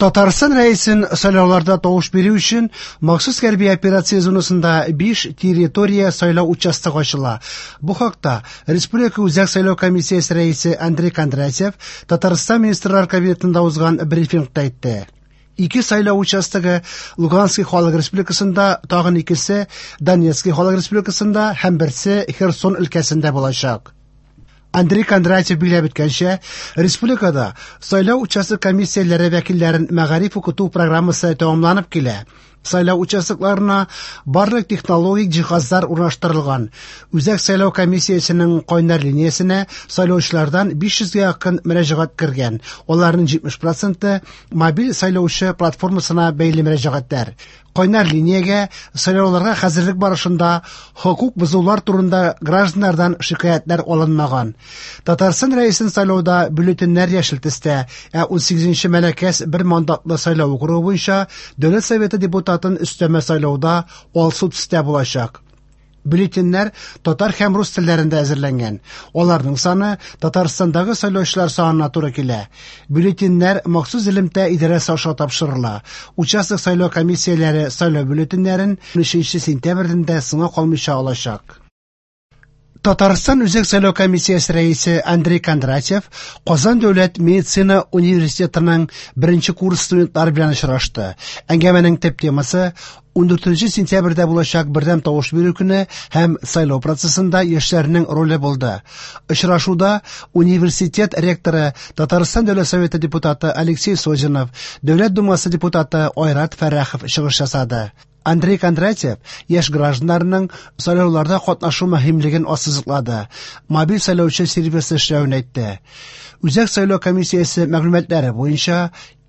Татарстан Рәисен сайлауларда тавыш бирү өчен махсус хәрби операция зонасында 5 территория сайлау участогы ачыла. Бу хакта Республика Үзәк сайлау комиссиясе рәисе Андрей Кондратьев Татарстан Министрлар Кабинетында узган брифингта әйтте. Ике сайлау участогы Луганский халык республикасында, тагын икесе Донецкий халык республикасында һәм берсе Херсон өлкәсендә булачак. Андрей Кондратьев билгеләп үткәнчә, республикада сайлау участок комиссияләре вәкилләрен мәгариф укыту программасы тәмамланып килә. Сайлау участокларына барлык технологик җиһазлар урнаштырылган. Үзәк сайлау комиссиясенең кайнар линиясенә сайлаучылардан 500 гә якын мөрәҗәгать кергән. Аларның 70 проценты мобиль сайлаучы платформасына бәйле мөрәҗәгатьләр. Кайнар линиягә сайлауларга хәзерлек барышында хокук бозулар турында гражданнардан шикаятьләр алынмаган. Татарстан Рәисен сайлауда бюллетеньнәр яшел төстә, ә 18 Мәләкәс бер мандатлы сайлау округы буенча Дәүләт Советы депутатын өстәмә сайлауда алсу төстә булачак. Бюллетеньнәр татар һәм рус телләрендә әзерләнгән. Аларның саны Татарстандагы сайлаучылар санына туры килә. Бюллетеньнәр махсус элемтә идарәсе аша тапшырыла. Участок сайлау комиссияләре сайлау бюллетеньнәрен 13 сентябрьдән дә соңга калмыйча алачак. Татарстан Үзәк сайлау комиссиясе рәисе Андрей Кондратьев Казан дәүләт медицина университетының беренче курс студентлары белән очрашты. Әңгәмәнең төп темасы 14 сентябрьдә булачак бердәм тавыш бирү көне һәм сайлау процессында яшьләрнең роле булды. Очрашуда университет ректоры Татарстан Дәүләт Советы депутаты Алексей Созинов, Дәүләт Думасы депутаты Айрат Фәррахов чыгыш ясады. Андрей Кондратьев яшь гражданнарның сайлауларда катнашу мөһимлеген ассызыклады. Мобиль сайлаучы сервисы эшләвен әйтте. Үзәк сайлау комиссиясе мәгълүматлары буенча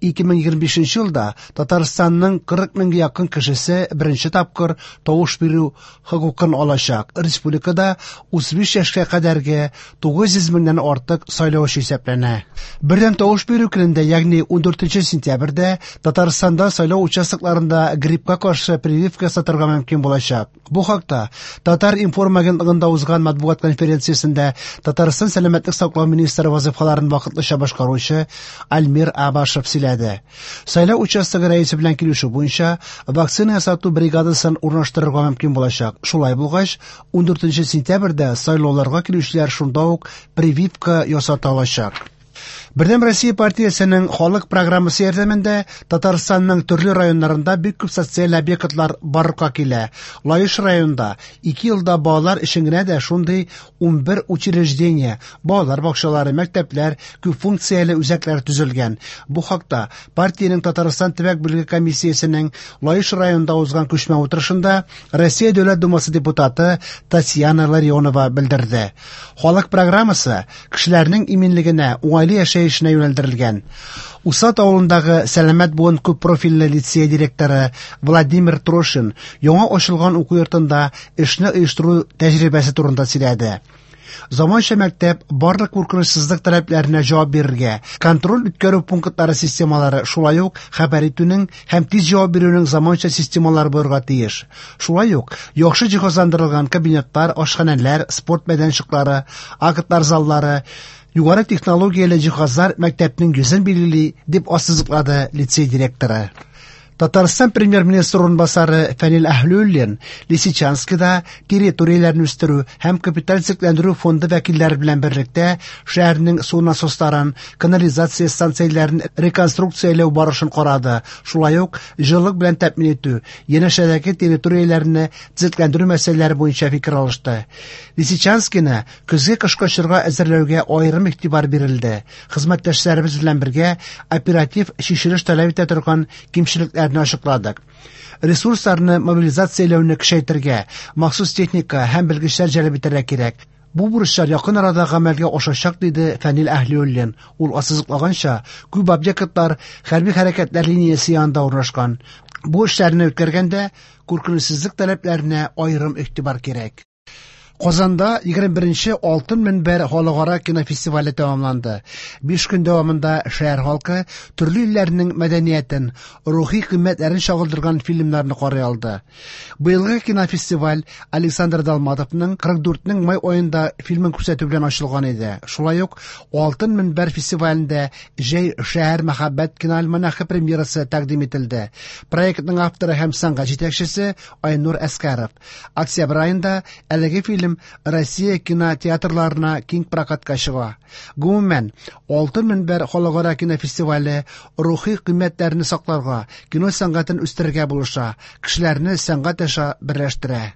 2025 елда Татарстанның 40 меңгә якын кешесе беренче тапкыр тавыш бирү хокукын алачак. Республикада 35 яшькә кадәрге 900 меңнән артык сайлаучы исәпләнә. Бердәм тавыш бирү көнендә, ягъни 14 сентябрьдә Татарстанда сайлау участокларында гриппка каршы прививка ясатырга мөмкин булачак. Бу хакта Татар-информ агентлыгында узган матбугат конференциясендә Татарстан сәламәтлек саклау министры вазифаларын вакытлыча башкаручы Альмир Абашев сөйләде. Сайлау участогы рәисе белән килешү буенча вакцина ясату бригадасын урнаштырырга мөмкин булачак. Шулай булгач, 14 сентябрьдә сайлауларга килүчеләр шунда ук прививка ясата алачак. Бердәм Россия партиясенең халык программасы ярдәмендә Татарстанның төрле районнарында бик күп социаль объектлар барлыкка килә. Лаеш районында 2 елда балалар өчен генә дә шундый 11 учреждение, балалар бакчалары, мәктәпләр, күп функцияле үзәкләр төзелгән. Бу хакта партиянең Татарстан төбәк бүлеге комиссиясенең Лаеш районында узган күчмә утырышында Россия Дәүләт Думасы депутаты Татьяна Ларионова белдерде. Халык программасы кешеләрнең иминлегенә, уңайлы яшәешенә юнәлдерелгән. Усад авылындагы Сәламәт буын күп профильле лицей директоры Владимир Трошин яңа ачылган уку йортында эшне оештыру тәҗрибәсе турында сөйләде. Заманча мәктәп барлык куркынычсызлык таләпләренә җавап бирергә, контроль үткәрү пунктлары системалары, шулай ук хәбәр итүнең һәм тиз җавап бирүнең заманча системалары булырга тиеш. Шулай ук яхшы җиһазландырылган кабинетлар, ашханәләр, спорт мәйданчыклары, актлар заллары, югары технологияле җиһазлар мәктәпнең йөзен билгели, дип ассызыклады лицей директоры. Татарстан премьер-министры урынбасары Фәнил Әһлиуллин Лисичанскида территорияләрне үстерү һәм капиталь төзекләндерү фонды вәкилләре белән берлектә шәһәрнең су насосларын, канализация станцияләрен реконструкцияләү барышын карады. Шулай ук җылылык белән тәэмин итү, янәшәдәге территорияләрне төзекләндерү мәсьәләләре буенча фикер алышты. Лисичанскины көзге кышкы чорга әзерләүгә аерым игътибар бирелде. Хезмәттәшләребез белән бергә оператив чишелеш таләп итә торган кимчелекләрне ачыкладык. Ресурсларны мобилизацияләүне көчәйтергә, махсус техника һәм белгечләр җәлеп итәргә кирәк. Бу бурычлар якын арада гамәлгә ашачак, диде Фәнил Әһлиуллин. Ул ассызыклаганча, күп объектлар хәрби хәрәкәтләр линиясе янында урнашкан. Бу эшләрне үткәргәндә куркынычсызлык таләпләренә аерым игътибар кирәк. Казанда 21нче Алтын мөнбәр халыкара кинофестивале тәмамланды. 5 көн дәвамында шәһәр халкы төрле илләрнең мәдәниятен, рухи кыйммәтләрен чагылдырган фильмнарны карый алды. Быелгы кинофестиваль Александр Долматовның 44-нең май аенда фильмын күрсәтү белән ачылган иде. Шулай ук Алтын мөнбәр фестивалендә Җәй шәһәр мәхәббәт киноальманахы премьерасы тәкъдим ителде. Проектның авторы һәм сәнгать җитәкчесе Айнур Әскәров. Октябрь аенда әлеге фильм Россия кинотеатрларына киң прокатка чыга. Гомумән, Алтын мөнбәр халыкара кинофестивале рухи кыйммәтләрне сакларга, кино сәнгатен үстерергә булыша, кешеләрне сәнгать аша берләштерә.